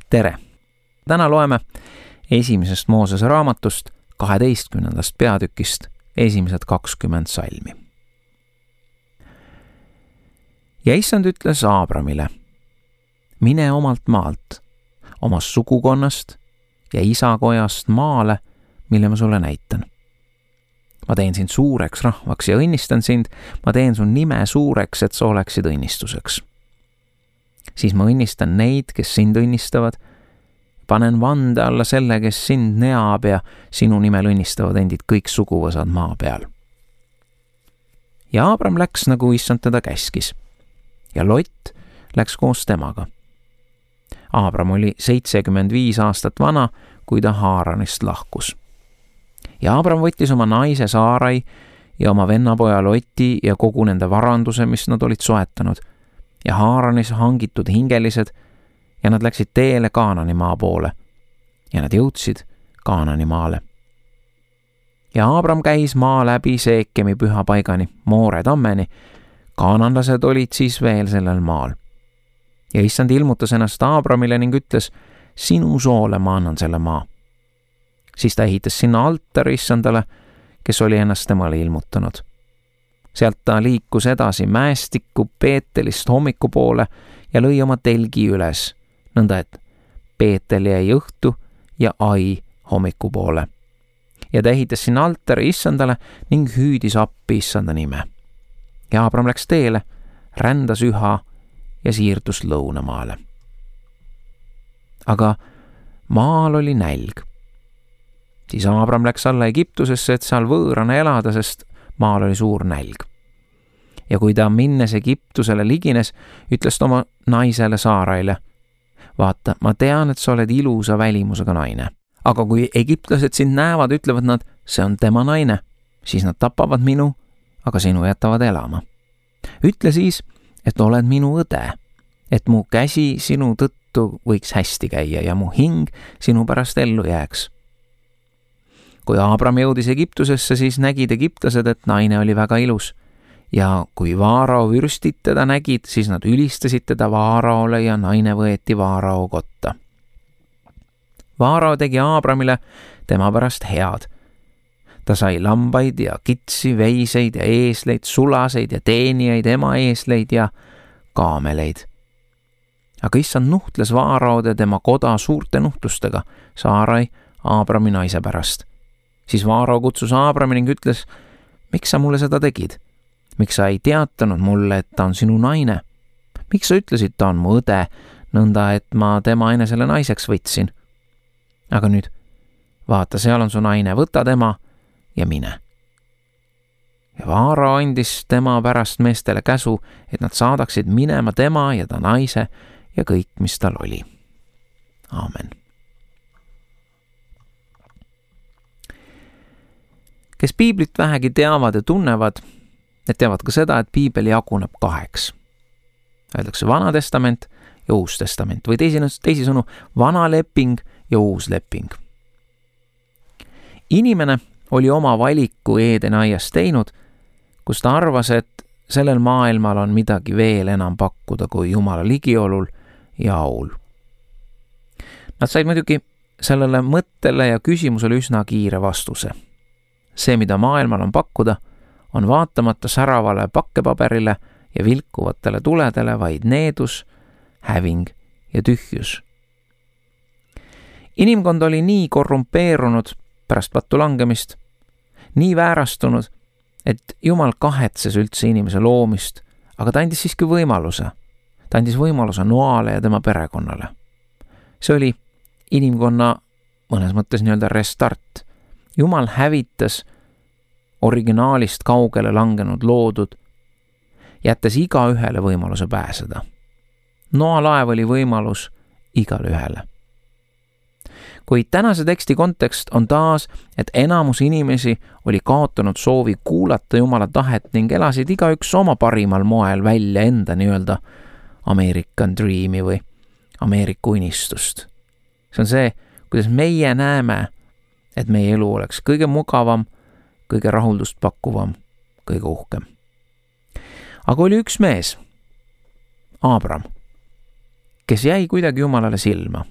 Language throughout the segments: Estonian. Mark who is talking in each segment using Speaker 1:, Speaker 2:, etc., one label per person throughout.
Speaker 1: Tere! Täna loeme esimesest Moosese raamatust 12. peatükist esimesed 20 salmi. Ja issand ütles Aabramile, mine omalt maalt, omast sugukonnast ja isakojast maale, mille ma sulle näitan. Ma teen sind suureks rahvaks ja õnnistan sind, ma teen sun nime suureks, et sa oleksid õnnistuseks. Siis ma õnnistan neid, kes sind õnnistavad, panen vande alla selle, kes sind neab ja sinu nimel õnnistavad endid kõik suguvõsad maa peal. Ja Aabram läks, nagu issand teda käskis, ja Lot läks koos temaga. Aabram oli 75 aastat vana, kui ta Haaranist lahkus. Ja Aabram võttis oma naise Saarai ja oma vennapoja Loti ja kogu nende varanduse, mis nad olid soetanud, ja Haaranis hangitud hingelised, ja nad läksid teele Kaanani maa poole, ja nad jõudsid Kaanani maale. Ja Aabram käis maa läbi Seekemi pühapaigani, Moore tammeni, kaananlased olid siis veel sellel maal. Ja issand ilmutas ennast Aabramile ning ütles, sinu soole ma annan selle maa. Siis ta ehitas sinna altari issandale, kes oli ennast temale ilmutanud. Sealt ta liikus edasi mäestikku Peetelist hommiku poole ja lõi oma telgi üles, nõnda et Peetel jäi õhtu ja Ai hommiku poole. Ja ta ehitas sinna altari issandale ning hüüdis appi issanda nime. Ja Aabram läks teele, rändas üha ja siirdus lõunamaale. Aga maal oli nälg. Siis Aabram läks alla Egiptusesse, et seal võõrana elada, sest maal oli suur nälg. Ja kui ta minnes Egiptusele ligines, ütles ta oma naisele Saaraile, vaata, ma tean, et sa oled ilusa välimusega naine. Aga kui egiptlased sind näevad, ütlevad nad, see on tema naine, siis nad tapavad minu, aga sinu jätavad elama. Ütle siis, et oled minu õde, et mu käsi sinu tõttu võiks hästi käia ja mu hing sinu pärast ellu jääks. Kui Aabram jõudis Egiptusesse, siis nägid egiptlased, et naine oli väga ilus. Ja kui Vaarao vürstid teda nägid, siis nad ülistasid teda Vaaraole ja naine võeti Vaarao kotta. Vaarao tegi Aabramile tema pärast head. Ta sai lambaid ja kitsi, veiseid ja eesleid, sulaseid ja teenijaid, ema eesleid ja kaameleid. Aga issand nuhtles Vaaraod ja tema koda suurte nuhtlustega, Saarai Aabrami naise pärast. Siis Vaarao kutsus Aabrami ning ütles, miks sa mulle seda tegid? Miks sa ei teatanud mulle, et ta on sinu naine? Miks sa ütlesid, ta on mu õde, nõnda et ma tema enesele naiseks võtsin? Aga nüüd, vaata, seal on su naine, võta tema ja mine. Ja Vaarao andis tema pärast meestele käsu, et nad saadaksid minema tema ja ta naise ja kõik, mis tal oli. Aamen. Kes piiblit vähegi teavad ja tunnevad, need teavad ka seda, et piibel jaguneb 2. Öeldakse Vana Testament ja Uus Testament või teisisõnu Vana leping ja Uus leping. Inimene oli oma valiku Eedeni aias teinud, kus ta arvas, et sellel maailmal on midagi veel enam pakkuda kui Jumala ligiolul ja aul. Nad said muidugi sellele mõttele ja küsimusele üsna kiire vastuse. See, mida maailmal on pakkuda, on vaatamata säravale pakkepaberile ja vilkuvatele tuledele vaid needus, häving ja tühjus. Inimkond oli nii korrumpeerunud pärast pattu langemist, nii väärastunud, et Jumal kahetses üldse inimese loomist, aga ta andis siiski võimaluse. Ta andis võimaluse Noale ja tema perekonnale. See oli inimkonna mõnes mõttes nii-öelda restart. Jumal hävitas originaalist kaugele langenud loodud, jättes iga ühele võimaluse pääseda. Noa laev oli võimalus igale ühele. Kuid tänase teksti kontekst on taas, et enamus inimesi oli kaotanud soovi kuulata Jumala tahet ning elasid igaüks oma parimal moel välja enda nii-öelda American Dreami või Ameerika unistust. See on see, kuidas meie näeme, et meie elu oleks kõige mugavam, kõige rahuldust pakkuvam, kõige uhkem. Aga oli üks mees, Aabram, kes jäi kuidagi Jumalale silma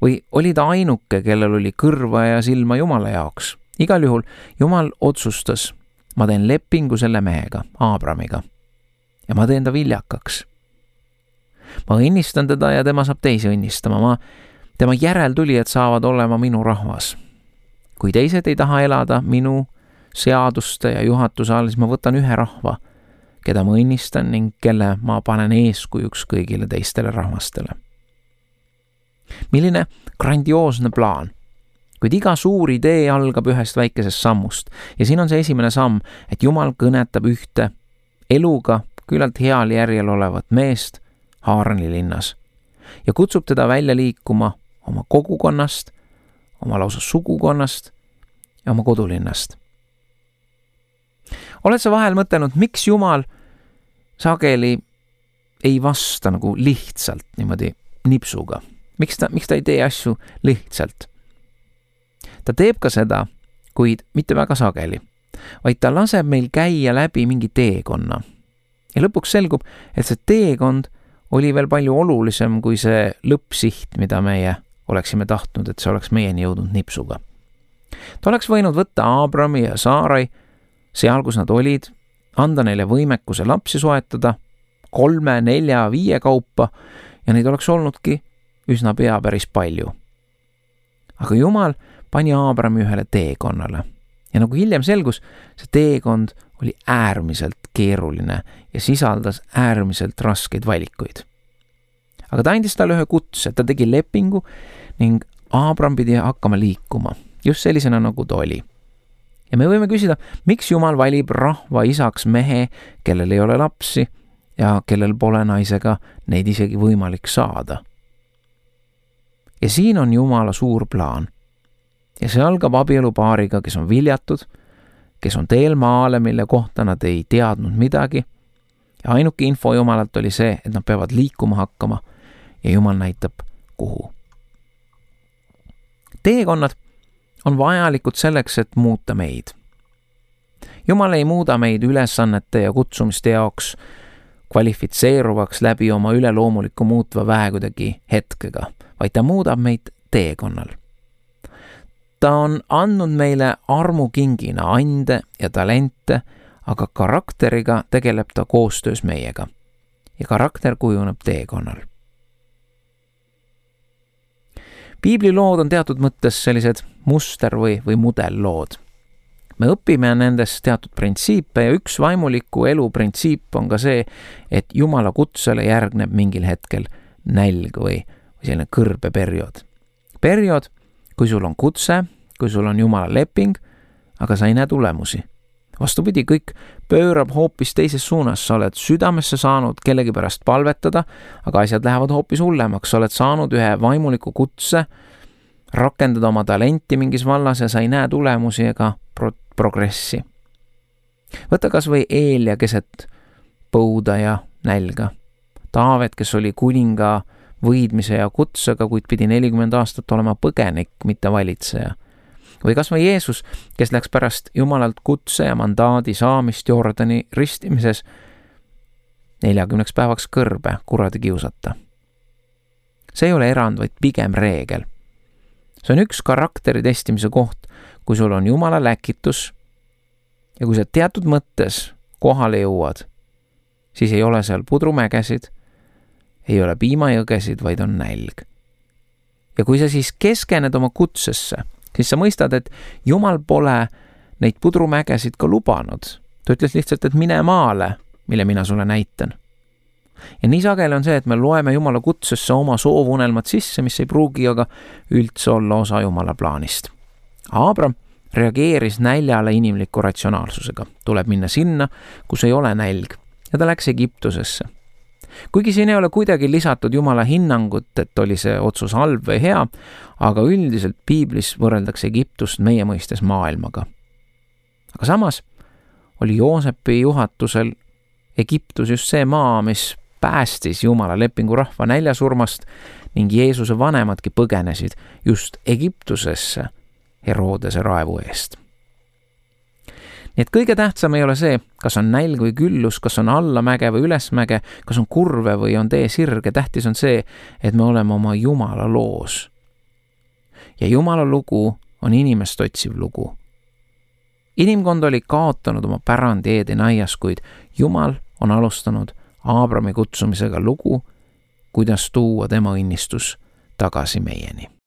Speaker 1: Või oli ta ainuke, kellel oli kõrva ja silma Jumala jaoks? Igal juhul Jumal otsustas, ma teen lepingu selle mehega, Aabramiga. Ja ma teen ta viljakaks. Ma õnnistan teda ja tema saab teisi õnnistama. Tema järeltulijad saavad olema minu rahvas. Kui teised ei taha elada minu seaduste ja juhatuse all, siis ma võtan ühe rahva, keda ma õnnistan ning kelle ma panen eeskujuks kõigile teistele rahvastele. Milline grandioosne plaan. Kuid iga suur idee algab ühest väikesest sammust ja siin on see esimene samm, et Jumal kõnetab ühte eluga küllalt heal järjel olevat meest Haarani linnas ja kutsub teda välja liikuma oma kogukonnast, oma lausa sugukonnast ja oma kodulinnast. Oled sa vahel mõtelnud, miks Jumal sageli ei vasta nagu lihtsalt niimoodi nipsuga? Miks ta ei tee asju lihtsalt? Ta teeb ka seda, kuid mitte väga sageli, vaid ta laseb meil käia läbi mingi teekonna. Ja lõpuks selgub, et see teekond oli veel palju olulisem kui see lõppsiht, mida meie oleksime tahtnud, et see oleks meieni jõudnud nipsuga. Ta oleks võinud võtta Aabrami ja Saarai seal, kus nad olid, anda neile võimekuse lapsi soetada 3, 4, 5 kaupa ja neid oleks olnudki üsna pea päris palju. Aga Jumal pani Aabrami ühele teekonnale ja nagu hiljem selgus, see teekond oli äärmiselt keeruline ja sisaldas äärmiselt raskeid valikuid. Aga ta andis talle ühe kutse, ta tegi lepingu ning Aabram pidi hakkama liikuma, just sellisena nagu ta oli. Ja me võime küsida, miks Jumal valib rahva isaks mehe, kellel ei ole lapsi ja kellel pole naisega neid isegi võimalik saada. Ja siin on Jumala suur plaan. Ja see algab abielupaariga, kes on viljatud, kes on teel maale, mille kohta nad ei teadnud midagi. Ja ainuke info Jumalalt oli see, et nad peavad liikuma hakkama ja Jumal näitab, kuhu. Teekonnad on vajalikud selleks, et muuta meid. Jumal ei muuda meid ülesannete ja kutsumiste jaoks kvalifitseeruvaks läbi oma üleloomuliku muutva vähe kuidagi hetkega, vaid ta muudab meid teekonnal. Ta on andnud meile armukingina ande ja talente, aga karakteriga tegeleb ta koostöös meiega. Ja karakter kujuneb teekonnal. Piiblilood on teatud mõttes sellised muster- või mudellood. Me õpime nendest teatud printsiipe ja üks vaimuliku elu printsiip on ka see, et Jumala kutsele järgneb mingil hetkel nälg või selline kõrbeperiood. Periood, kui sul on kutse, kui sul on Jumala leping, aga sa ei näe tulemusi. Vastupidi, kõik pöörab hoopis teises suunas. Sa oled südamesse saanud kellegi pärast palvetada, aga asjad lähevad hoopis hullemaks. Sa oled saanud ühe vaimuliku kutse, rakendada oma talenti mingis vallas ja sa ei näe tulemusi ega progressi. Võta kas või Eelia keset põuda ja nälga. Taavet, kes oli kuninga võidmise ja kutsega, kuid pidi 40 aastat olema põgenik, mitte valitseja. Või kas või Jeesus, kes läks pärast Jumalalt kutse ja mandaadi saamist Jordani ristimises 40 päevaks kõrbe kuradi kiusata. See ei ole erand, vaid pigem reegel. See on üks karakteri testimise koht, kui sul on Jumala läkitus ja kui sa teatud mõttes kohale jõuad, siis ei ole seal pudrumägesid, ei ole piimajõgesid, vaid on nälg. Ja kui sa siis keskened oma kutsesse, siis sa mõistad, et Jumal pole neid pudrumägesid ka lubanud. Ta ütles lihtsalt, et mine maale, mille mina sulle näitan. Ja nii sageli on see, et me loeme Jumala kutsesse oma soovunelmad sisse, mis ei pruugi aga üldse olla osa Jumala plaanist. Aabram reageeris näljale inimliku ratsionaalsusega. Tuleb minna sinna, kus ei ole nälg. Ja ta läks Egiptusesse. Kuigi siin ei ole kuidagi lisatud Jumala hinnangut, et oli see otsus halb või hea, aga üldiselt piiblis võrreldakse Egiptust meie mõistes maailmaga. Aga samas oli Joosepi juhatusel Egiptus just see maa, mis päästis Jumala lepingu rahva näljasurmast ning Jeesuse vanemadki põgenesid just Egiptusesse Herodese raevu eest. Nii et kõige tähtsam ei ole see, kas on nälg või küllus, kas on allamäge või ülesmäge, kas on kurve või on tee sirge. Tähtis on see, et me oleme oma Jumala loos ja Jumala lugu on inimest otsiv lugu. Inimkond oli kaotanud oma pärandi Eedeni aias, kuid Jumal on alustanud Aabrami kutsumisega lugu, kuidas tuua tema õnnistus tagasi meieni.